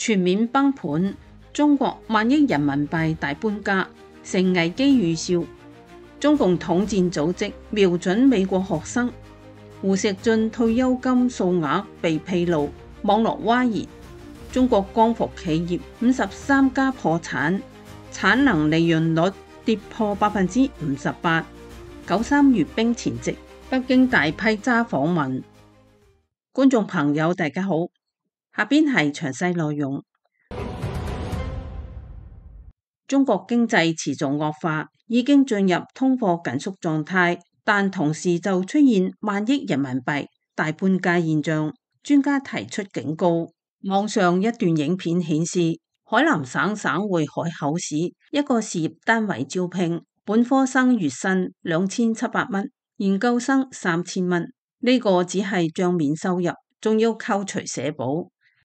全面崩盤，中國萬億人民幣大搬家，成危機預兆。中共統戰組織瞄準美國學生，胡錫進退休金數額被披露，網絡譁然。中國光伏企業53家破產，產能利潤率跌破58%。93閱兵前夕，北京大批揸訪問。觀眾朋友大家好，下邊係詳細內容。中國經濟持續惡化，已經進入通貨緊縮狀態，但同時就出現萬億人民幣大搬家現象。專家提出警告。網上一段影片顯示，海南省省會海口市一個事業單位招聘，本科生月薪2700蚊，研究生3000蚊。呢個只係賬面收入，仲要扣除社保，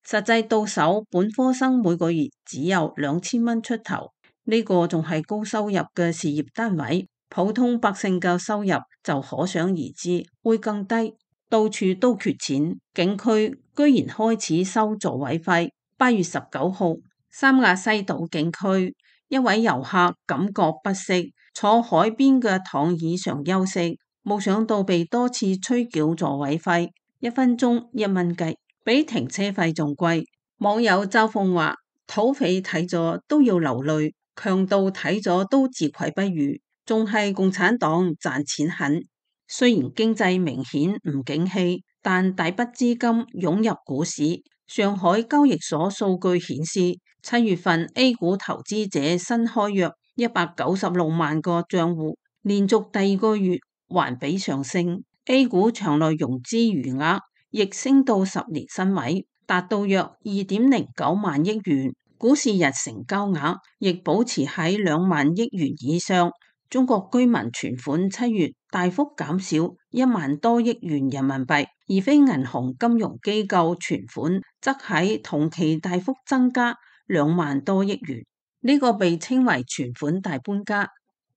實際到手本科生每個月只有2000蚊出頭。呢個仲係高收入嘅事業單位，普通百姓嘅收入就可想而知會更低。到處都缺錢，景區居然開始收座位費。8月19號，三亞西島景區一位遊客感覺不適，坐海邊嘅躺椅上休息，冇想到被多次催繳座位費，1分鐘1蚊雞，比停車費仲貴。網友嘲諷話：土匪睇咗都要流淚，強盜睇咗都自愧不如，仲係共產黨賺錢狠。雖然經濟明顯唔景氣，但大筆資金湧入股市。上海交易所數據顯示，7月份 A 股投資者新開約196萬個賬戶，連續第二個月環比上升。A 股場內融資餘額亦升到10年新位，達到約2.09萬億元。股市日成交額亦保持喺2萬億元以上。中國居民存款7月大幅減少1萬多億元人民幣，而非銀行金融機構存款則喺同期大幅增加2萬多億元。呢個被稱為存款大搬家。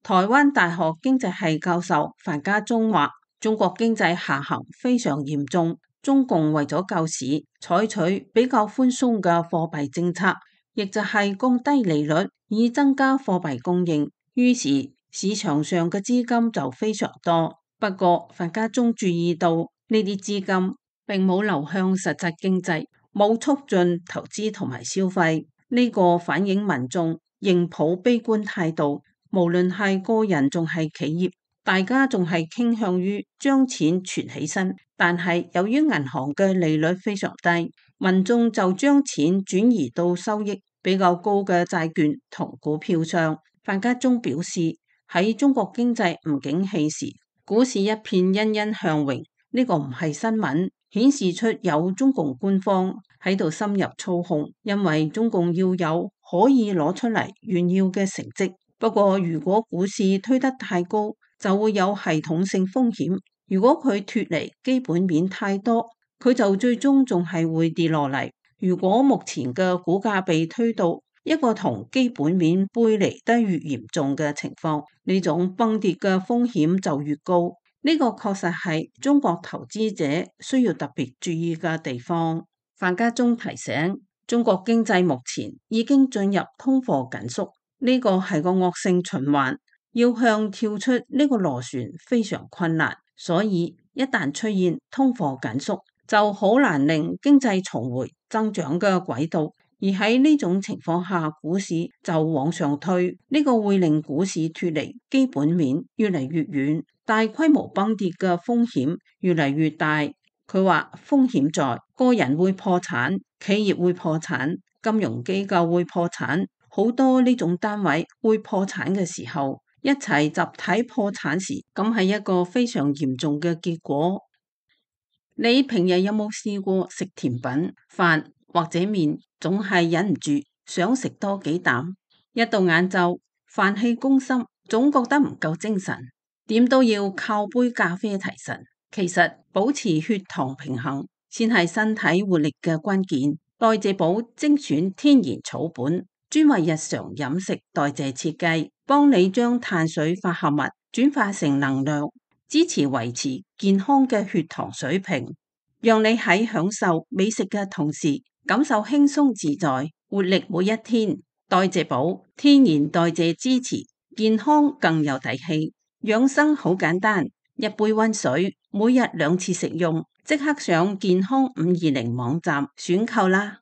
台灣大學經濟系教授范家忠話：中國經濟下行非常嚴重，中共為咗救市，採取比較寬鬆嘅貨幣政策，亦就係降低利率以增加貨幣供應，於是市場上嘅資金就非常多。不過范家忠注意到呢啲資金並冇流向實際經濟，冇促進投資同埋消費。呢個反映民眾仍抱悲觀態度，無論係個人仲係企業，大家仲係傾向於將錢存起身。但係由於銀行嘅利率非常低，民眾就將錢轉移到收益比較高嘅債券同股票上。范家忠表示，喺中國經濟唔景氣時，股市一片欣欣向榮，呢個唔係新聞，顯示出有中共官方喺度深入操控，因為中共要有可以攞出嚟炫耀嘅成績。不過如果股市推得太高，就會有系統性風險。如果佢脫離基本面太多，佢就最終仲係會跌落嚟。如果目前嘅股價被推到一個同基本面背離得越嚴重嘅情況，呢種崩跌嘅風險就越高。呢個確實係中國投資者需要特別注意嘅地方。范家忠提醒，中國經濟目前已經進入通貨緊縮，呢個係個惡性循環，要向跳出呢個螺旋非常困難。所以一旦出現通貨緊縮，就好難令經濟重回增長嘅軌道。而喺呢種情況下，股市就往上推，呢個會令股市脫離基本面越嚟越遠，大規模崩跌嘅風險越嚟越大。佢話風險在個人會破產，企業會破產，金融機構會破產，好多呢種單位會破產嘅時候，一齊集體破產時，咁係一個非常嚴重嘅結果。你平日有冇試過食甜品、飯或者麵，總係忍唔住想食多幾啖？一到晏晝，飯氣攻心，總覺得唔夠精神，點都要靠杯咖啡提神。其實保持血糖平衡先係身體活力嘅關鍵。代謝寶精選天然草本，專為日常飲食代謝設計，幫你將碳水化合物轉化成能量，支持維持健康嘅血糖水平，讓你喺享受美食嘅同時，感受輕鬆自在，活力每一天。代謝寶，天然代謝支持，健康更有底氣。養生好簡單，一杯溫水，每日2次食用，即刻上健康520網站選購啦。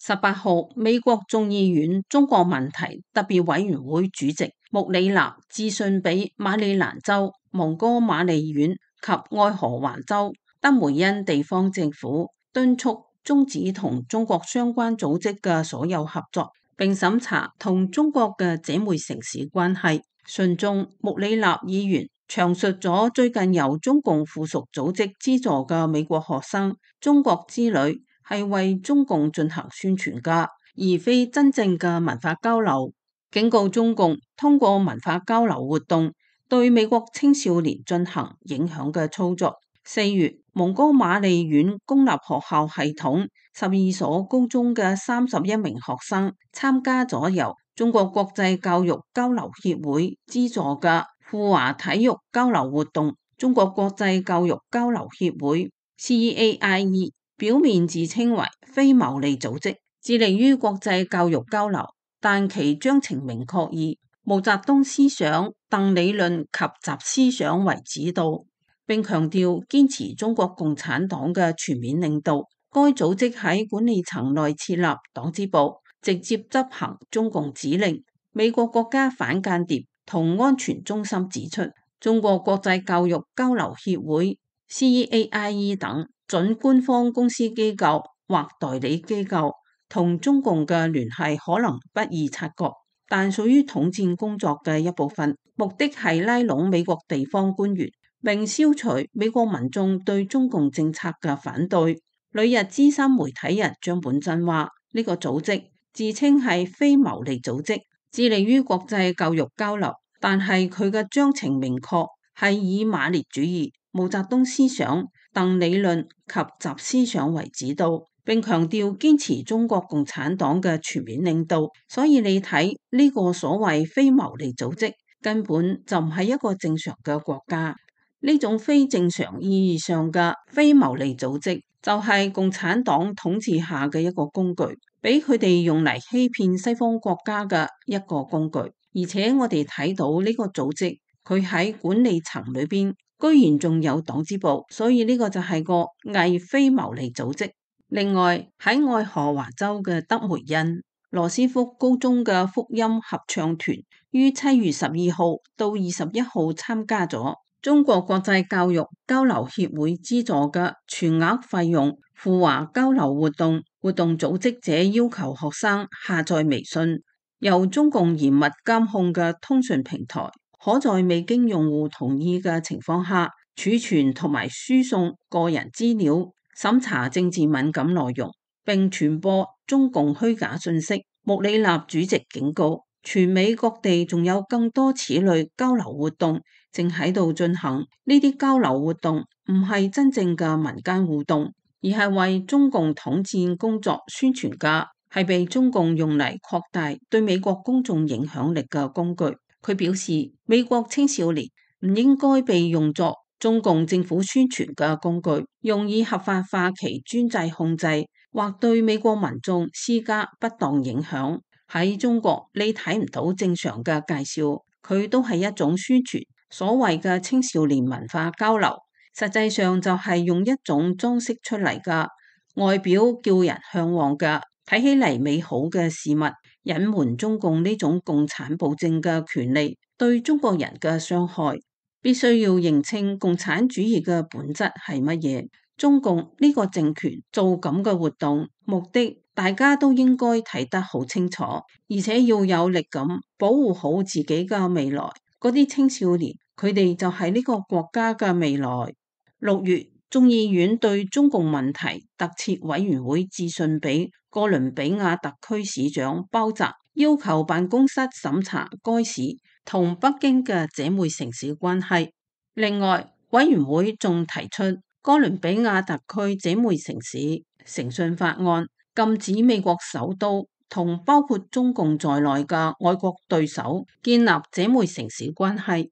18號，美國眾議院中國問題特別委員會主席穆里納致信俾馬里蘭州、蒙哥馬利縣及愛荷華州德梅恩地方政府，敦促終止同中國相關組織嘅所有合作，並審查同中國嘅姐妹城市關係。信中，穆里納議員詳述咗最近由中共附屬組織資助嘅美國學生中國之旅係為中共進行宣傳噶，而非真正嘅文化交流。警告中共通過文化交流活動對美國青少年進行影響嘅操作。4月，蒙哥馬利縣公立學校系統12所高中嘅31名學生參加咗由中國國際教育交流協會資助嘅赴華體育交流活動。中國國際教育交流協會 CAIE 表面自稱為非牟利組織，致力於國際教育交流，但其章程明確以毛澤東思想、鄧理論及習思想為指導，並強調堅持中國共產黨嘅全面領導。該組織喺管理層內設立黨支部，直接執行中共指令。美國國家反間諜同安全中心指出，中國國際教育交流協會 CAIE 等準官方公司機構或代理機構同中共嘅聯繫可能不易察覺，但屬於統戰工作嘅一部分，目的係拉攏美國地方官員，並消除美國民眾對中共政策嘅反對。旅日資深媒體人張本真話：呢個組織自稱係非牟利組織，致力於國際教育交流，但係佢嘅章程明確係以馬列主義、毛澤東思想、鄧理論及習思想為指導，並強調堅持中國共產黨嘅全面領導。所以你睇呢個所謂非牟利組織根本就唔係一個正常嘅國家。呢種非正常意義上嘅非牟利組織就係共產黨統治下嘅一個工具，俾佢哋用嚟欺騙西方國家嘅一個工具。而且我哋睇到呢個組織佢喺管理層裏邊居然仲有黨支部，所以呢個就係個偽非牟利組織。另外喺愛荷華州嘅德梅恩羅斯福高中嘅福音合唱團於7月12號到21號參加咗中國國際教育交流協會資助嘅全額費用赴華交流活動。活動組織者要求學生下載微信，由中共嚴密監控嘅通訊平台，可在未經用戶同意嘅情況下儲存同埋輸送個人資料，審查政治敏感內容，並傳播中共虛假信息。穆里納主席警告，全美各地仲有更多此類交流活動正喺度進行。呢啲交流活動唔係真正嘅民間互動，而係為中共統戰工作宣傳噶，係被中共用嚟擴大對美國公眾影響力嘅工具。佢表示，美國青少年唔應該被用作中共政府宣傳嘅工具，用以合法化其專制控制或對美國民眾施加不當影響。喺中國，你睇唔到正常嘅介紹，佢都係一種宣傳。所謂嘅青少年文化交流，實際上就係用一種裝飾出嚟嘅外表叫人向往嘅睇起嚟美好嘅事物，隱瞞中共呢種共產暴政嘅權利對中國人嘅傷害。必須要認清共產主義嘅本質係乜嘢。中共呢個政權做咁嘅活動目的，大家都應該睇得好清楚，而且要有力咁保護好自己嘅未來。嗰啲青少年，佢哋就係呢個國家嘅未來。6月，眾議院對中共問題特設委員會致信俾哥倫比亞特區市長鮑澤，要求辦公室審查該市同北京嘅姐妹城市關係。另外，委員會仲提出哥倫比亞特區姐妹城市誠信法案，禁止美國首都同包括中共在內嘅外國對手建立姐妹城市關係。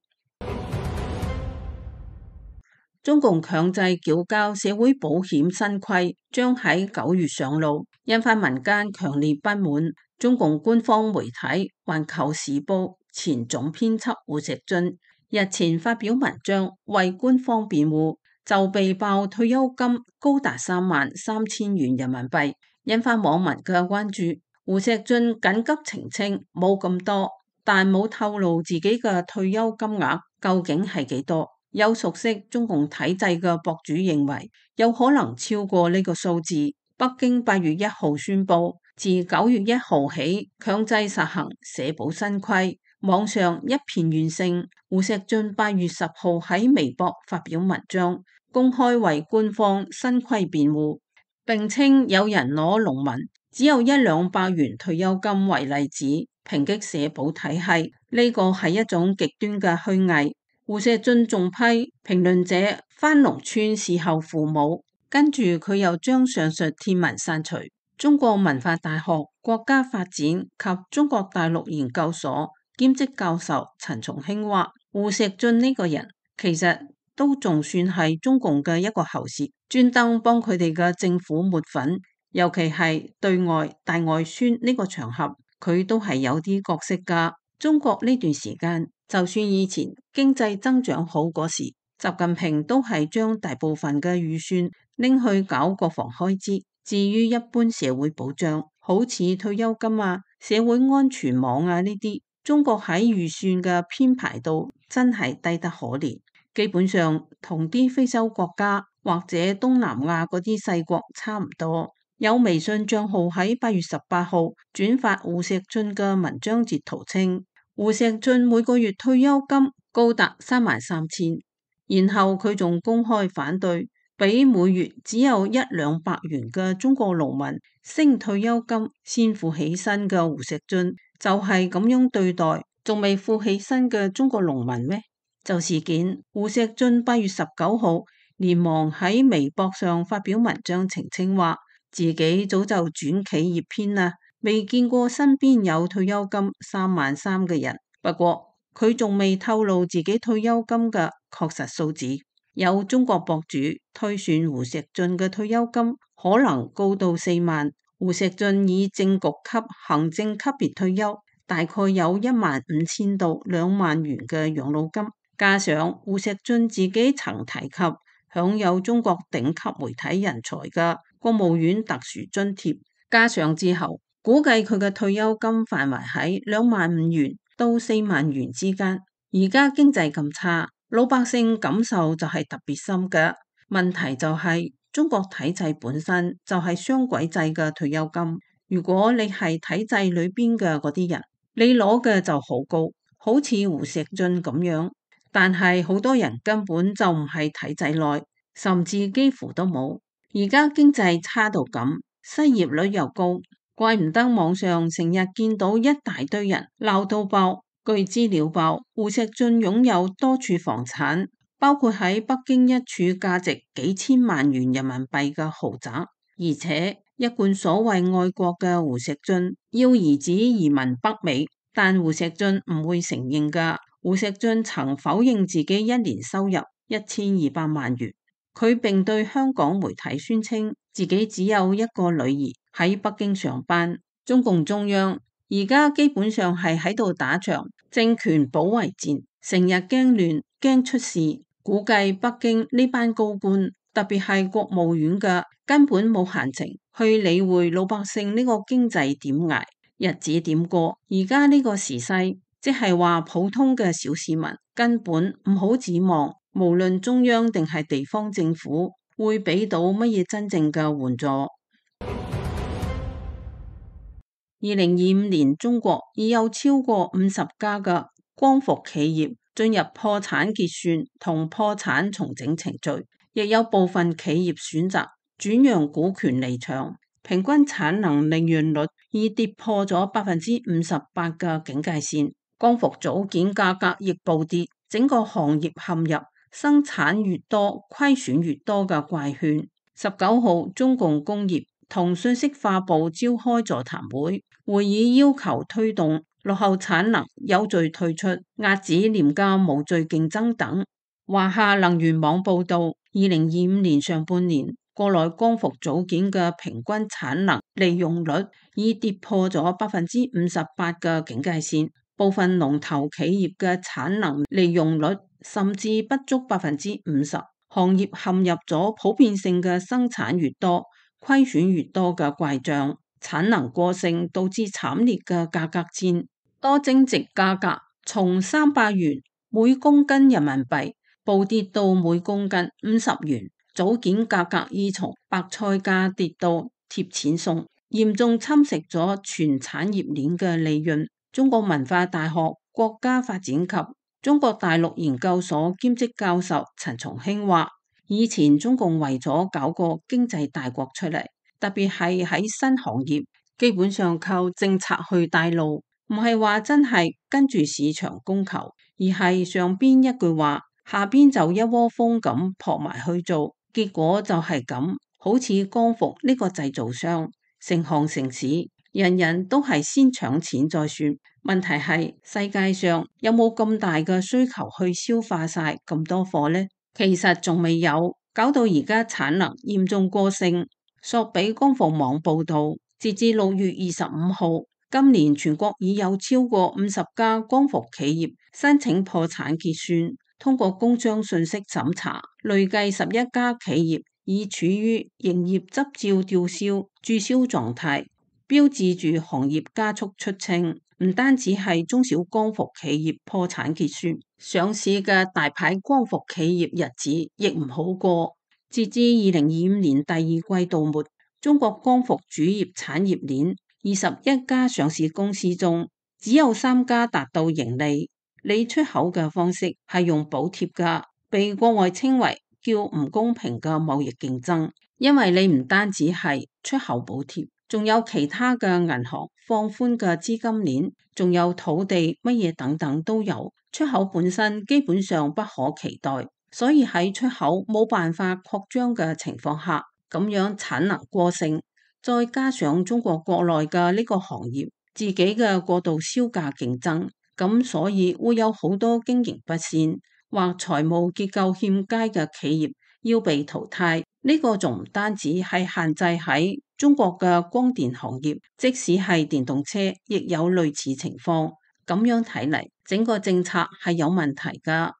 中共強制繳交社會保險新規將喺9月上路，引發民間強烈不滿。中共官方媒體《環球時報》前總編輯胡錫進日前發表文章為官方辯護，就被爆退休金高達33000元人民幣，引發網民嘅關注。胡錫進緊急澄清冇咁多，但冇透露自己嘅退休金額究竟係幾多。有熟悉中共體制嘅博主認為，有可能超過呢個數字。北京8月1號宣布，自9月1號起強制實行社保新規，網上一片怨聲。胡錫進8月10號喺微博發表文章，公開為官方新規辯護，並稱有人攞農民只有100-200元退休金為例子，抨擊社保體系，呢個係一種極端嘅虛偽。胡錫進仲批評論者返農村伺候父母，跟住佢又將上述貼文刪除。中國文化大學國家發展及中國大陸研究所兼職教授陳松興話，胡錫進呢個人其實都仲算係中共嘅一個喉舌，專登幫佢哋嘅政府抹粉，尤其係對外大外宣呢個場合，佢都係有啲角色㗎。中國呢段時間，就算以前經濟增長好嗰時，習近平都係將大部分嘅預算拎去搞國防開支。至於一般社會保障，好似退休金啊、社會安全網啊呢啲，中國喺預算嘅編排度真係低得可憐，基本上同啲非洲國家或者東南亞嗰啲細國差唔多。有微信賬號喺8月18號轉發胡錫進嘅文章截圖稱，胡錫進每個月退休金高達33000，然後佢仲公開反對俾每月只有100-200元嘅中國農民升退休金先富起身嘅胡錫進，就係咁樣對待仲未富起身嘅中國農民咩？就事件，胡錫進8月19號連忙喺微博上發表文章澄清話，自己早就轉企業篇啦，未見過身邊有退休金33000嘅人。不過佢仲未透露自己退休金嘅確實數字。有中國博主推算胡錫進嘅退休金可能高到4萬。胡錫進以正局級行政級別退休，大概有15000到2萬元嘅養老金，加上胡錫進自己曾提及享有中國頂級媒體人才嘅國務院特殊津貼，加上之後，估計佢嘅退休金範圍喺25000元到4萬元之間。而家經濟咁差，老百姓感受就係特別深嘅。問題就係中國體制本身就係雙軌制嘅退休金。如果你係體制裏邊嘅嗰啲人，你攞嘅就好高，好似胡錫進咁樣。但係好多人根本就唔係體制內，甚至幾乎都冇。而家經濟差到咁，失業率又高，怪唔得網上成日見到一大堆人鬧到爆。據資料報，胡錫進擁有多處房產，包括喺北京一處價值幾千萬元人民幣嘅豪宅。而且一貫所謂愛國嘅胡錫進要兒子移民北美，但胡錫進唔會承認㗎。胡錫進曾否認自己一年收入1200萬元。佢並對香港媒體宣稱自己只有一個女兒喺北京上班。中共中央而家基本上係喺度打場政權保衛戰，成日驚亂驚出事。估計北京呢班高官，特別係國務院嘅，根本冇閒情去理會老百姓呢個經濟點捱，日子點過。而家呢個時勢，即係話普通嘅小市民根本唔好指望，無論中央定係地方政府會俾到乜嘢真正嘅援助。2025年，中國已有超過50家嘅光伏企業進入破產結算同破產重整程序，亦有部分企業選擇轉讓股權離場，平均產能利潤率已跌破咗58%嘅警戒線，光伏組件價格亦暴跌，整個行業陷入生產越多虧損越多嘅怪圈。19號，中共工業同信息化部召開座談會，會議要求推動落後產能有序退出，遏止廉價無序競爭等。華夏能源網報道，2025年上半年國內光伏組件嘅平均產能利用率已跌破咗58%嘅警戒線，部分龍頭企業嘅產能利用率甚至不足50%，行業陷入咗普遍性嘅生產越多，虧損越多嘅怪象，產能過剩導致慘烈嘅價格戰，多晶矽價格從300元每公斤人民幣暴跌到每公斤50元，組件價格已從白菜價跌到貼錢送，嚴重侵蝕咗全產業鏈嘅利潤。中國文化大學國家發展及中國大陸研究所兼職教授陳松興話，以前中共為咗搞個經濟大國出嚟，特別係喺新行業，基本上靠政策去帶路，唔係話真係跟住市場供求，而係上邊一句話，下邊就一窩蜂咁撲埋去做，結果就係咁。好似光伏呢個製造商，成行成市，人人都係先搶錢再算。問題係世界上有冇咁大嘅需求去消化晒咁多貨呢？其實仲未有，搞到而家產能嚴重過剩。索比光伏網報道，截至6月25號，今年全國已有超過50家光伏企業申請破產結算，通過工商信息審查，累計11家企業已處於營業執照吊銷、註銷狀態，標誌住行業加速出清。唔單止係中小光伏企業破產結算，上市嘅大牌光伏企業日子亦唔好過。截至2025年第二季度末，中國光伏主業產業鏈21家上市公司中，只有3家達到盈利。你出口嘅方式係用補貼㗎，被國外稱為叫唔公平嘅貿易競爭，因為你唔單止係出口補貼，仲有其他嘅銀行放寬嘅資金鏈，仲有土地乜嘢等等都有。出口本身基本上不可期待，所以喺出口冇辦法擴張嘅情況下，咁樣產能過剩，再加上中國國內嘅呢個行業自己嘅過度銷價競爭，咁所以會有好多經營不善或財務結構欠佳嘅企業要被淘汰。呢個仲唔單止係限制喺中國嘅光電行業，即使係電動車亦有類似情況。咁樣睇嚟，整個政策係有問題㗎。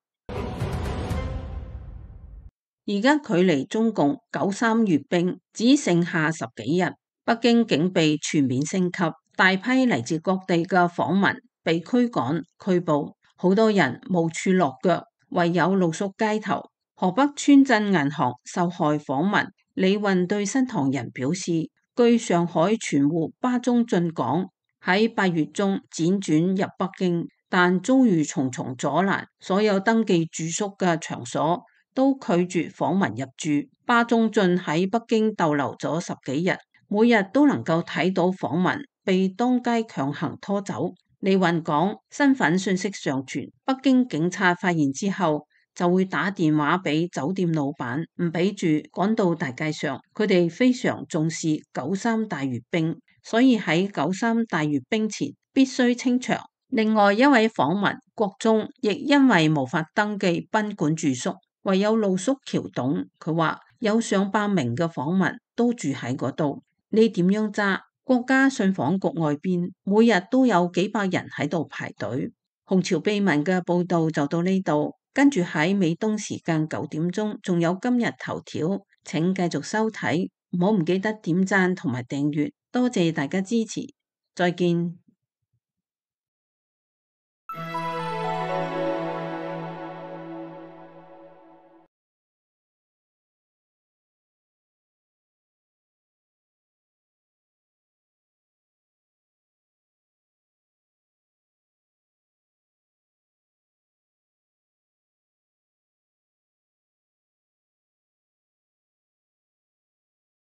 而家距離中共93閱兵只剩下10幾日，北京警備全面升級，大批嚟自各地嘅訪民被驅趕拘捕，好多人無處落腳，唯有露宿街頭。河北村鎮銀行受害訪民李運對新唐人表示，據上海存戶巴中進講，喺8月中輾轉入北京，但遭遇重重阻攔，所有登記住宿嘅場所都拒絕訪民入住。巴中進喺北京逗留咗10幾日，每日都能夠睇到訪民被當街強行拖走。李運講，身份信息上傳，北京警察發現之後就會打電話俾酒店老闆，唔俾住，趕到大街上。佢哋非常重視93大閱兵，所以喺93大閱兵前必須清場。另外一位訪民國中亦因為無法登記賓館住宿，唯有露宿橋洞。佢話有上百名嘅訪民都住喺嗰度，你點樣揸？國家信訪局外邊每日都有幾百人喺度排隊。紅潮秘聞嘅報道就到呢度，跟住喺美東時間9點鐘仲有今日頭條，請繼續收睇，唔好唔記得點讚同埋訂閱，多謝大家支持，再見。